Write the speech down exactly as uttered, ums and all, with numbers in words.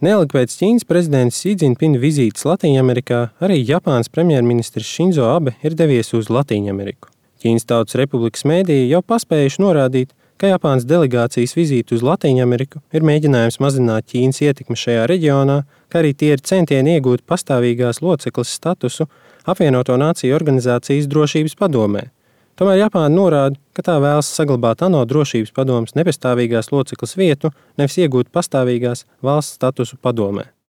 Neilgi pēc Ķīnas prezidenta Si Dzinpina vizītes Latīņamerikā arī Japānas premjerministrs Šinzo Abe ir devies uz Latīņameriku. Ķīnas Tautas Republikas mēdīji jau paspējuši norādīt, ka Japānas delegācijas vizīte uz Latīņameriku ir mēģinājums mazināt Ķīnas ietekmi šajā reģionā, kā arī tie ir centieni iegūt pastāvīgās locekles statusu Apvienoto Nāciju organizācijas drošības padomē. Tomēr Japāna norāda, ka tā vēlas saglabāt ANO drošības padomes nepastāvīgās locekles vietu, nevis iegūt pastāvīgās valsts statusu padomē.